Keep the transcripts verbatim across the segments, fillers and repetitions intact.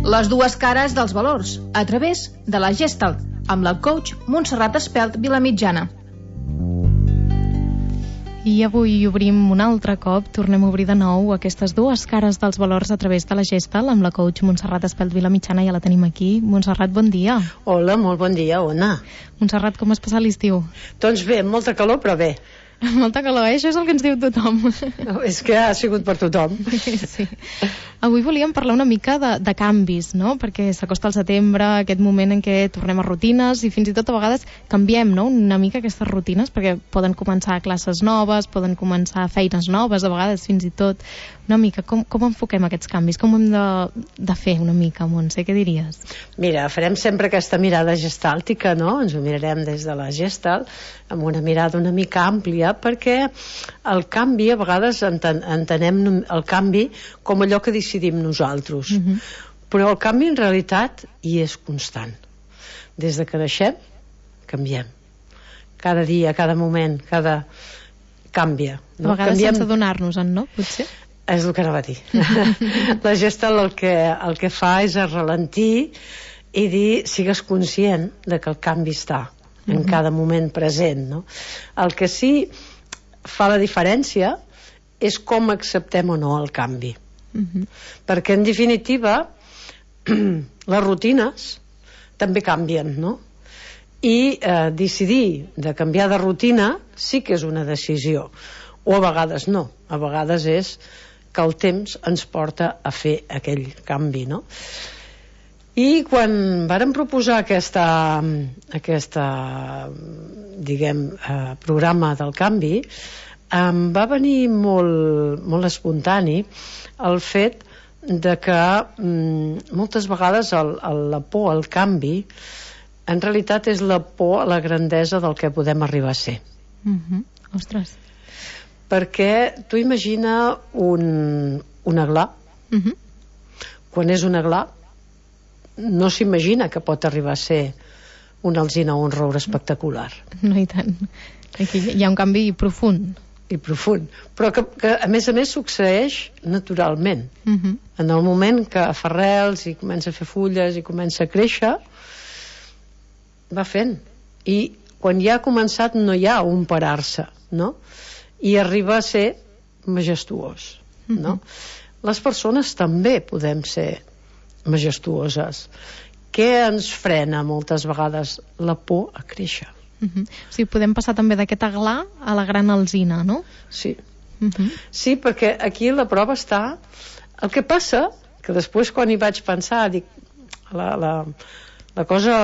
Les dues cares dels valors, a través de la Gestalt, amb la coach Montserrat Espelt Vilamitjana. I avui obrim un altre cop, tornem a obrir de nou aquestes dues cares dels valors a través de la Gestalt amb la coach Montserrat Espelt Vilamitjana. Ja la tenim aquí. Montserrat, bon dia. Hola, molt bon dia, Ona. Montserrat, com has passat l'estiu? Doncs bé, molta calor, però bé. Molta calor, eh? Això és el que ens diu tothom. No, és que ha sigut per tothom. Sí. Avui volíem parlar una mica de, de canvis, no? Perquè s'acosta el setembre, aquest moment en què tornem a rutines i fins i tot a vegades canviem, no? Una mica aquestes rutines, perquè poden començar classes noves, poden començar feines noves, a vegades fins i tot. Una mica, com, com enfoquem aquests canvis? Com ho hem de, de fer una mica, Montse? Què diries? Mira, farem sempre aquesta mirada gestàltica, no? Ens ho mirarem des de la Gestalt, amb una mirada una mica àmplia, perquè el canvi, a vegades enten, entenem el canvi com allò que decidim nosaltres. Uh-huh. Però el canvi en realitat hi és constant. Des de que naixem, canviem. Cada dia, cada moment, cada... canvia. No? A vegades canviem... sense adonar-nos-en, no? Potser? És el que anava a dir. La Gestalt el que, el que fa és ralentir i dir, sigues conscient de que el canvi està en uh-huh. cada moment present, no? El que sí fa la diferència és com acceptem o no el canvi. Uh-huh. Perquè en definitiva les rutines també canvien, no? I eh, decidir de canviar de rutina sí que és una decisió, o a vegades no, a vegades és que el temps ens porta a fer aquell canvi, no? I quan vàrem proposar aquesta, aquesta diguem, eh, programa del canvi, em va venir molt, molt espontani el fet de que mm, moltes vegades el, el, la por al canvi en realitat és la por a la grandesa del que podem arribar a ser. Uh-huh. Ostres. Perquè tu imagina un, un aglà. Uh-huh. Quan és un aglà no s'imagina que pot arribar a ser un alzina o un roure espectacular. No, i tant. Aquí hi ha un canvi profund. I profund. Però que, que a més a més succeeix naturalment. Uh-huh. En el moment que fa arrels i comença a fer fulles i comença a créixer, va fent. I quan ja ha començat no hi ha un parar-se, no? I arriba a ser majestuós, no? Uh-huh. Les persones també podem ser majestuoses. Què ens frena moltes vegades? La por a créixer. Uh-huh. O sigui, podem passar també d'aquest aglà a la gran alzina, no? Sí. Uh-huh. Sí, perquè aquí la prova està... El que passa, que després quan hi vaig pensar, dic, la, la, la cosa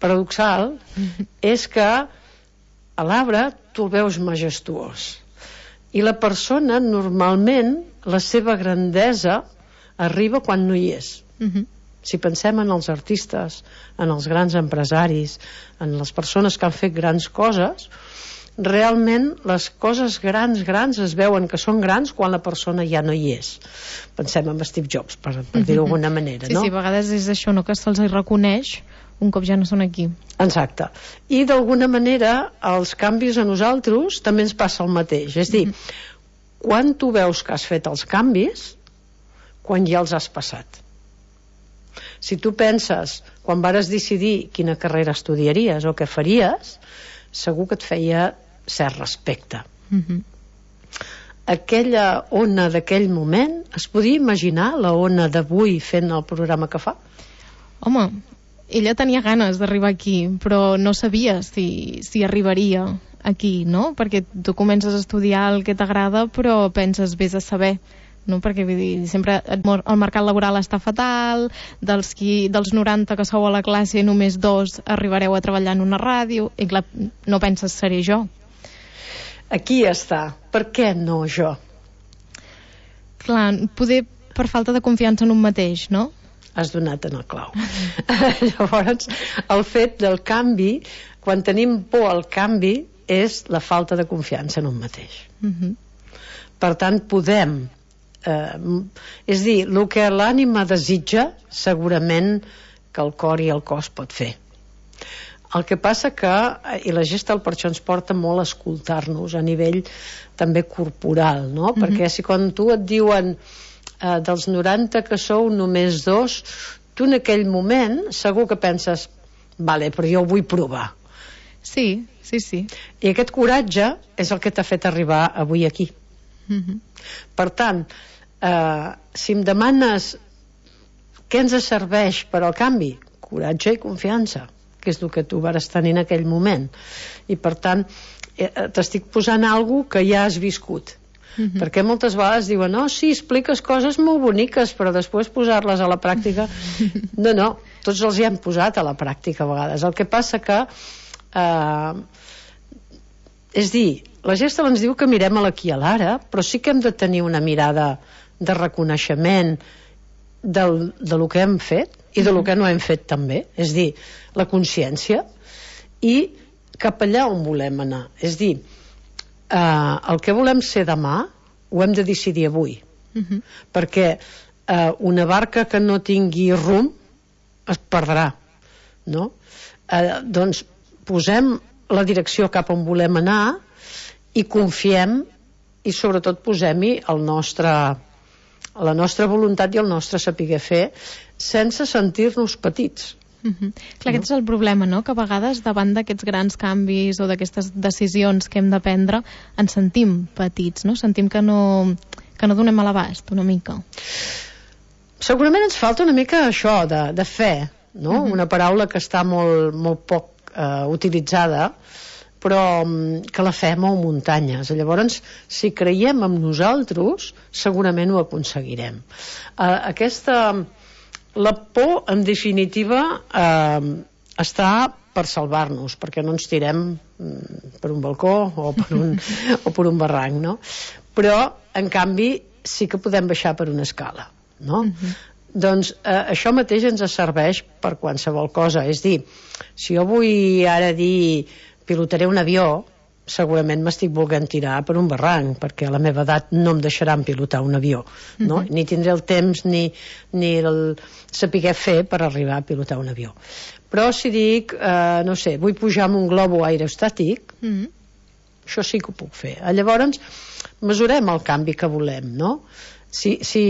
paradoxal uh-huh. és que a l'arbre tu el veus majestuós. I la persona, normalment, la seva grandesa arriba quan no hi és. Uh-huh. Si pensem en els artistes, en els grans empresaris, en les persones que han fet grans coses, realment les coses grans, grans es veuen que són grans quan la persona ja no hi és. Pensem en Steve Jobs, per, per dir-ho d'alguna manera, sí, no? Sí, a vegades és això, no?, que se'ls reconeix un cop ja no són aquí. Exacte. I d'alguna manera els canvis a nosaltres també ens passa el mateix. És dir, mm-hmm. quan tu veus que has fet els canvis, quan ja els has passat. Si tu penses, quan vares decidir quina carrera estudiaries o què faries, segur que et feia cert respecte. Mm-hmm. Aquella ona d'aquell moment, es podia imaginar la ona d'avui fent el programa que fa? Home, ella tenia ganes d'arribar aquí, però no sabia si, si arribaria aquí, no? Perquè tu comences a estudiar el que t'agrada, però penses, vés a saber, no? Perquè vull dir, sempre el mercat laboral està fatal, dels, qui, dels noranta que sou a la classe només dos arribareu a treballar en una ràdio, i clar, no penses, seré jo. Aquí està. Per què no jo? Clar, poder per falta de confiança en un mateix, no? Has donat en el clau. Llavors, el fet del canvi, quan tenim por al canvi, és la falta de confiança en un mateix. Uh-huh. Per tant, podem... Eh, és dir, el que l'ànima desitja, segurament que el cor i el cos pot fer. El que passa que, i la Gestalt per això ens porta molt a escoltar-nos a nivell també corporal, no? Uh-huh. Perquè si quan tu et diuen eh, dels noranta que sou només dos, tu en aquell moment segur que penses, vale, però jo ho vull provar. Sí, sí, sí. I aquest coratge és el que t'ha fet arribar avui aquí. Mm-hmm. Per tant, eh, si em demanes què ens serveix per al canvi, coratge i confiança, que és el que tu vas tenir en aquell moment. I per tant, eh, t'estic posant alguna cosa que ja has viscut. Mm-hmm. Perquè moltes vegades diuen, no, sí, expliques coses molt boniques, però després posar-les a la pràctica no, no, tots els hi hem posat a la pràctica a vegades. El que passa que eh, és dir, la Gestalt ens diu que mirem a l'aquí i a l'ara, però sí que hem de tenir una mirada de reconeixement del, de lo que hem fet i de lo que no hem fet també, és dir, la consciència, i cap allà on volem anar, és dir, Uh, el que volem ser demà ho hem de decidir avui. Uh-huh. Perquè uh, una barca que no tingui rumb es perdrà, no? Uh, doncs posem la direcció cap on volem anar i confiem, i sobretot posem-hi el nostre, la nostra voluntat i el nostre saber fer, sense sentir-nos petits. Uh-huh. Clar, aquest és el problema, no? Que a vegades davant d'aquests grans canvis o d'aquestes decisions que hem de prendre ens sentim petits, no? Sentim que no, que no donem a l'abast una mica. Segurament ens falta una mica això de, de fe, no? Uh-huh. Una paraula que està molt, molt poc eh, utilitzada, però que la fe mou muntanyes. Llavors, si creiem en nosaltres, segurament ho aconseguirem. Eh, aquesta... La por, en definitiva, eh, està per salvar-nos, perquè no ens tirem per un balcó o per un, o per un barranc, no? Però, en canvi, sí que podem baixar per una escala, no? Uh-huh. Doncs eh, això mateix ens serveix per qualsevol cosa. És dir, si jo vull ara dir pilotaré un avió, segurament m'estic volent tirar per un barranc, perquè a la meva edat no em deixaran pilotar un avió, no? Uh-huh. Ni tindré el temps ni, ni el saber fer per arribar a pilotar un avió. Però si dic, eh, no sé, vull pujar amb un globo aerostàtic, uh-huh, això sí que ho puc fer. Llavors, mesurem el canvi que volem, no? Si, si,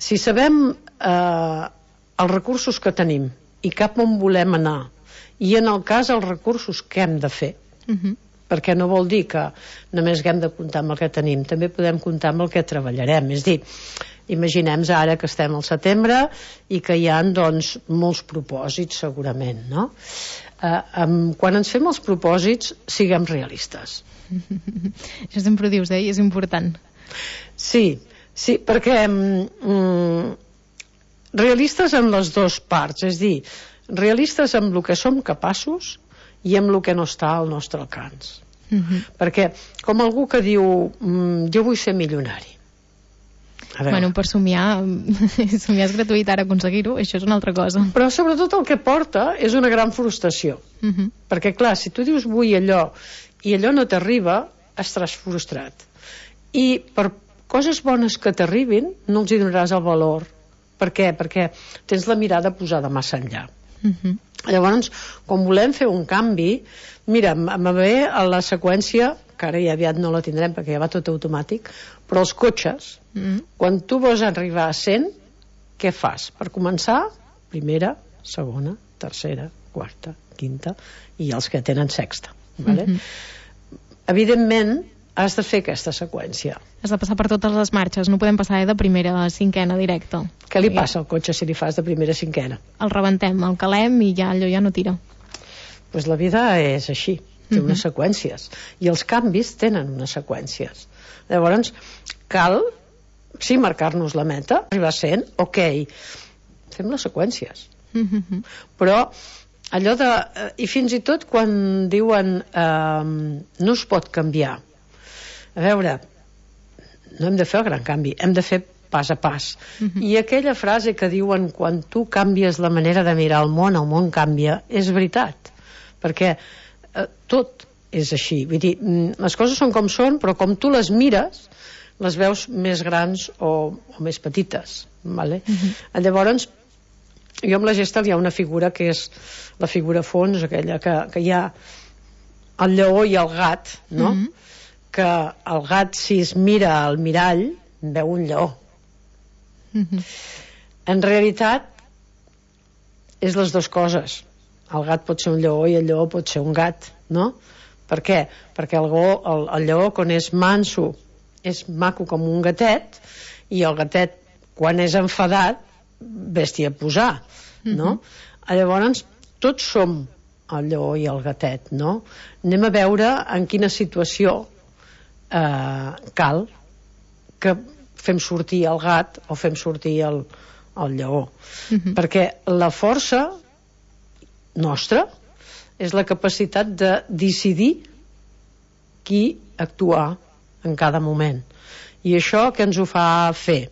si sabem eh, els recursos que tenim i cap on volem anar, i en el cas els recursos que hem de fer, Uh-huh. perquè no vol dir que només haguem de comptar amb el que tenim, també podem comptar amb el que treballarem. És dir, imaginem ara que estem al setembre i que hi ha, doncs, molts propòsits segurament, no? Eh, um, quan ens fem els propòsits, siguem realistes. Això sempre ho dius, eh? I és important. Sí, sí, perquè mm, realistes en les dues parts, és dir, realistes amb el que som capaços i amb el que no està al nostre alcance. Uh-huh. Perquè, com algú que diu mm, jo vull ser milionari. Bueno, per somiar, somiar és gratuït, ara aconseguir-ho, això és una altra cosa. Però sobretot el que porta és una gran frustració. Uh-huh. Perquè, clar, si tu dius vull allò i allò no t'arriba, estaràs frustrat. I per coses bones que t'arribin, no els hi donaràs el valor. Per què? Perquè tens la mirada posada massa enllà. Uh-huh. Llavors, quan volem fer un canvi, mira, em ve a la seqüència, que ara ja aviat no la tindrem perquè ja va tot automàtic, però els cotxes, mm. quan tu vols arribar a cent, què fas? Per començar, primera, segona, tercera, quarta, quinta, i els que tenen sexta. Vale? Mm-hmm. Evidentment, has de fer aquesta seqüència. Has de passar per totes les marxes, no podem passar eh, de primera a cinquena directe. Què li passa al cotxe si li fas de primera a cinquena? El rebentem, el calem i ja allò ja no tira. Pues la vida és així, té unes uh-huh. seqüències, i els canvis tenen unes seqüències. Llavors, cal, sí, marcar-nos la meta, arribar a cent, ok, fem les seqüències. Uh-huh. Però allò de... I fins i tot quan diuen eh, no es pot canviar, a veure, no hem de fer el gran canvi, hem de fer pas a pas. Uh-huh. I aquella frase que diuen quan tu canvies la manera de mirar el món, el món canvia, és veritat, perquè eh, tot és així. Vull dir, les coses són com són, però com tu les mires, les veus més grans o, o més petites. Vale? Uh-huh. Llavors, jo amb la Gestalt hi ha una figura que és la figura fons, aquella que, que hi ha el lleó i el gat, no? Uh-huh. Que el gat, si es mira al mirall, veu un lleó. Mm-hmm. En realitat, és les dues coses. El gat pot ser un lleó i el lleó pot ser un gat, no? Per què? Perquè el, go, el, el lleó, quan és manso, és maco com un gatet, i el gatet, quan és enfadat, bèstia a posar, no? Mm-hmm. Llavors, tots som el lleó i el gatet, no? Anem a veure en quina situació eh, cal que fem sortir el gat o fem sortir el, el lleó. Mm-hmm. Perquè la força nostra és la capacitat de decidir qui actuar en cada moment. I això què ens ho fa fer?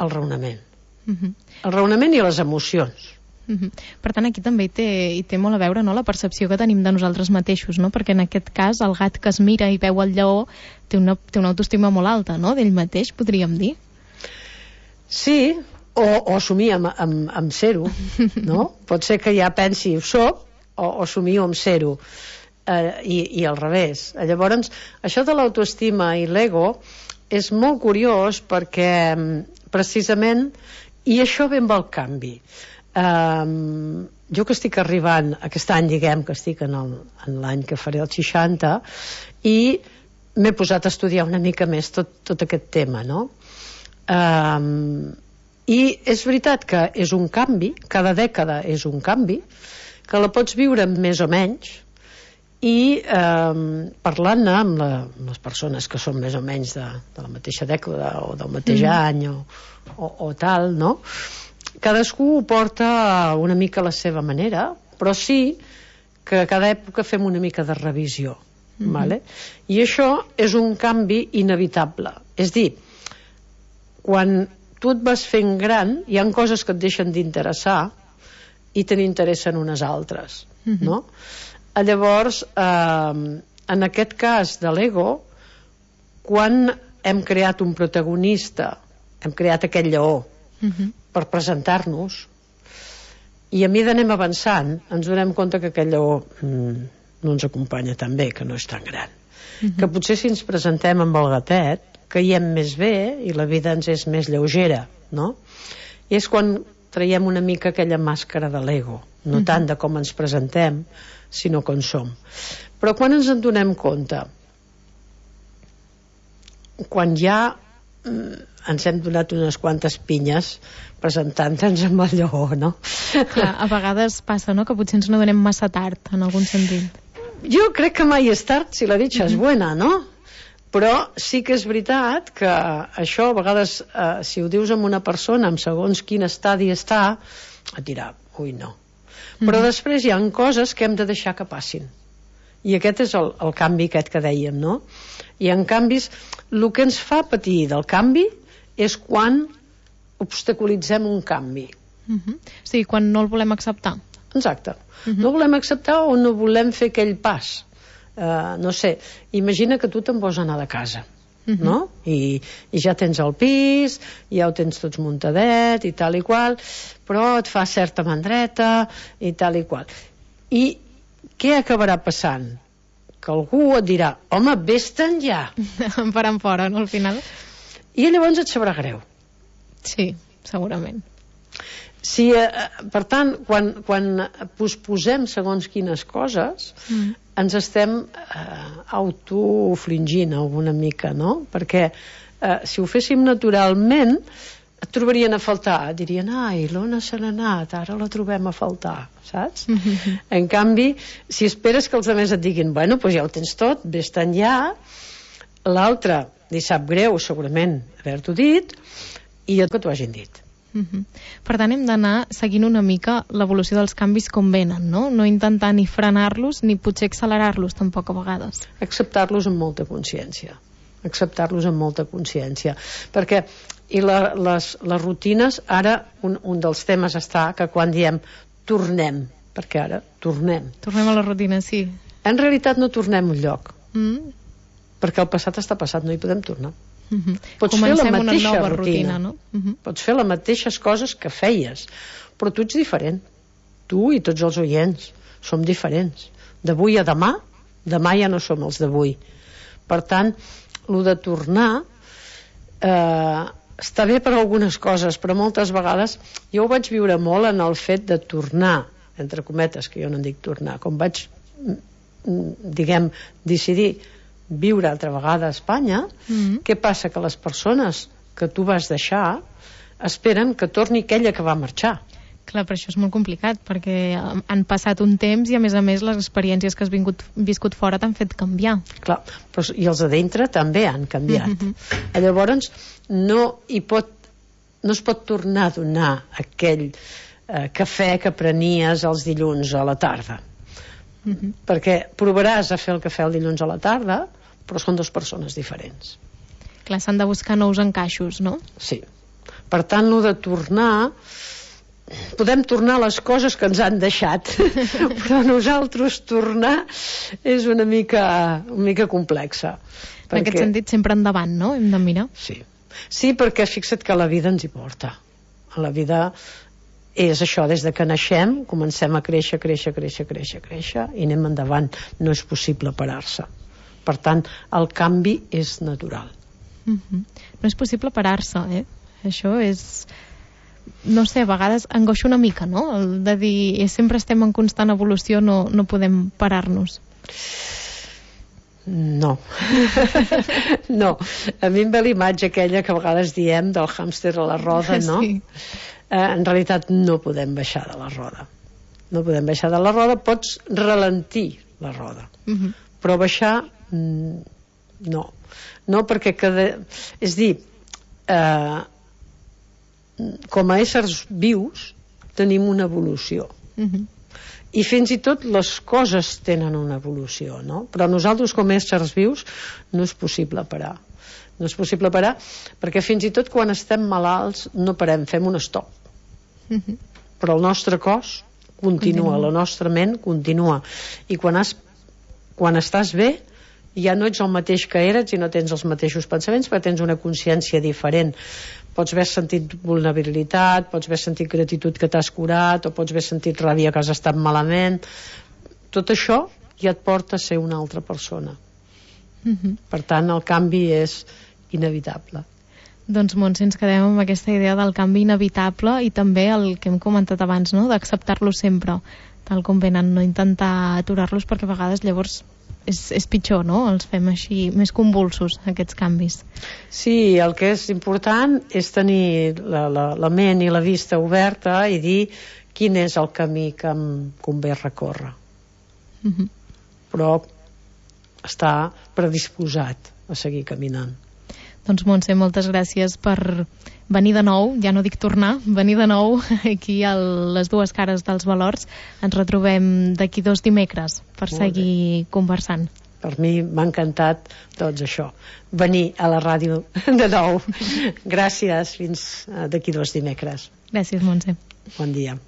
El raonament. Mm-hmm. El raonament i les emocions. Mm-hmm. Per tant, aquí també hi té, hi té molt a veure, no?, la percepció que tenim de nosaltres mateixos, no? Perquè en aquest cas el gat que es mira i veu el lleó té una, té una autoestima molt alta, no?, d'ell mateix, podríem dir. Sí, o, o somia amb, amb, amb ser-ho, no? Pot ser que ja pensi ho soc, o, o somio amb ser-ho, eh, i, i al revés. Llavors, això de l'autoestima i l'ego és molt curiós perquè precisament, i això ve amb el canvi. Um, jo que estic arribant aquest any, diguem que estic en, el, en l'any que faré els seixanta, i m'he posat a estudiar una mica més tot, tot aquest tema, no? Um, i és veritat que és un canvi, cada dècada és un canvi, que la pots viure més o menys, i um, parlant-ne amb, la, amb les persones que són més o menys de, de la mateixa dècada o del mateix mm. any o, o, o tal, no? Cadascú ho porta una mica a la seva manera, però sí que a cada època fem una mica de revisió. Mm-hmm. Vale? I això és un canvi inevitable. És dir, quan tu et vas fent gran, hi ha coses que et deixen d'interessar i te n'interessen unes altres. Mm-hmm. No? Llavors, eh, en aquest cas de l'ego, quan hem creat un protagonista, hem creat aquest lleó, mm-hmm, per presentar-nos, i a mesura anem avançant ens donem compte que aquell lleó mm, no ens acompanya tan bé, que no és tan gran. Mm-hmm. Que potser si ens presentem amb el gatet caiem més bé i la vida ens és més lleugera, no? I és quan traiem una mica aquella màscara de l'ego, no mm-hmm, tant de com ens presentem, sinó com som. Però quan ens en donem compte, quan ja mm, ens hem donat unes quantes pinyes presentant-nos amb el lleó, no? Clar, a vegades passa, no?, que potser ens n'adonem massa tard, en algun sentit. Jo crec que mai és tard si la dicha és buena, no? Però sí que és veritat que això a vegades, eh, si ho dius amb una persona en segons quin estadi està, et dirà, ui, no. Però mm. després hi ha coses que hem de deixar que passin. I aquest és el, el canvi aquest que dèiem, no? I en canvis, el que ens fa patir del canvi és quan obstaculitzem un canvi. Uh-huh. Sí, quan no el volem acceptar. Exacte. Uh-huh. No volem acceptar o no volem fer aquell pas. Uh, no sé, imagina que tu te'n vols anar de casa, uh-huh, no? I, I ja tens el pis, ja ho tens tots muntadet i tal i qual, però et fa certa mandreta i tal i qual. I què acabarà passant? Que algú et dirà, home, vés-te'n ja. Em faran fora, no, al final? I llavors et sabrà greu. Sí, segurament. Si, eh, per tant, quan, quan posposem segons quines coses, mm. ens estem eh, autofringint alguna mica, no? Perquè eh, si ho féssim naturalment, et trobarien a faltar. Dirien, ai, l'Ona se n'ha anat, ara la trobem a faltar, saps? Mm-hmm. En canvi, si esperes que els altres et diguin, bueno, doncs ja ho tens tot, vés-te'n ja, l'altre li sap greu, segurament, haver-t'ho dit, i que t'ho hagin dit. Uh-huh. Per tant, hem d'anar seguint una mica l'evolució dels canvis com venen, no? No intentar ni frenar-los ni potser accelerar-los tampoc a vegades. Acceptar-los amb molta consciència. Acceptar-los amb molta consciència. Perquè i la, les, les rutines, ara un, un dels temes està que quan diem tornem, perquè ara tornem. Tornem a la rutina, sí. En realitat no tornem un lloc. Mm. Perquè el passat està passat, no hi podem tornar. Uh-huh. Pots Comencem fer la mateixa una nova rutina, rutina, no? Uh-huh. Pots fer les mateixes coses que feies, però tu ets diferent. Tu i tots els oients som diferents. D'avui a demà, demà ja no som els d'avui. Per tant, el de tornar eh, està bé per algunes coses, però moltes vegades jo ho vaig viure molt en el fet de tornar, entre cometes, que jo no en dic tornar, com vaig, diguem, decidir viure altra vegada a Espanya. Mm-hmm. Què passa? Que les persones que tu vas deixar esperen que torni aquella que va marxar. Clar, però això és molt complicat, perquè han passat un temps i, a més a més, les experiències que has vingut, viscut fora t'han fet canviar. Clar, però, i els de dintre també han canviat. Mm-hmm. Llavors, no hi pot, no es pot tornar a donar aquell eh, cafè que prenies els dilluns a la tarda. Mm-hmm. Perquè provaràs a fer el cafè el dilluns a la tarda, però són dues persones diferents. Clar, s'han de buscar nous encaixos, no? Sí. Per tant, lo de tornar... podem tornar a les coses que ens han deixat, però nosaltres tornar és una mica, una mica complexa. En perquè... aquest sentit, sempre endavant, no? Hem de mirar. Sí. Sí, perquè fixa't que la vida ens hi porta. La vida és això, des de que naixem, comencem a créixer, créixer, créixer, créixer, créixer, i anem endavant. No és possible parar-se. Per tant, el canvi és natural. Mm-hmm. No és possible parar-se, eh? Això és... no sé, a vegades angoixa una mica, no? El de dir, sempre estem en constant evolució, no, no podem parar-nos. No. No. A mi em ve l'imatge aquella que a vegades diem del hàmster a la roda, no? Sí. Eh, en realitat no podem baixar de la roda. No podem baixar de la roda, pots ralentir la roda. Uh-huh. Però baixar, no. No, perquè cada... és dir, eh, com a éssers vius tenim una evolució. Uh-huh. I fins i tot les coses tenen una evolució, no? Però nosaltres com a éssers vius no és possible parar. No és possible parar perquè fins i tot quan estem malalts no parem, fem un stop. Uh-huh. Però el nostre cos continua, continua, la nostra ment continua. I quan, has, quan estàs bé ja no ets el mateix que eres i no tens els mateixos pensaments, perquè tens una consciència diferent. Pots haver sentit vulnerabilitat, pots haver sentit gratitud que t'has curat, o pots haver sentit ràbia que has estat malament. Tot això ja et porta a ser una altra persona. Mm-hmm. Per tant, el canvi és inevitable. Doncs, Montse, ens quedem amb aquesta idea del canvi inevitable i també el que hem comentat abans, no? D'acceptar-lo sempre, tal com venen, no intentar aturar-los, perquè a vegades llavors és, és pitjor, no? Els fem així més convulsos, aquests canvis. Sí, el que és important és tenir la, la, la ment i la vista oberta i dir quin és el camí que em convé recórrer. Mm-hmm. Però estar predisposat a seguir caminant. Doncs, Montse, moltes gràcies per venir de nou, ja no dic tornar, venir de nou aquí a les dues cares dels valors. Ens retrobem d'aquí dos dimecres per Molt seguir bé. Conversant. Per mi m'ha encantat doncs això, venir a la ràdio de nou. Gràcies, fins d'aquí dos dimecres. Gràcies, Montse. Bon dia.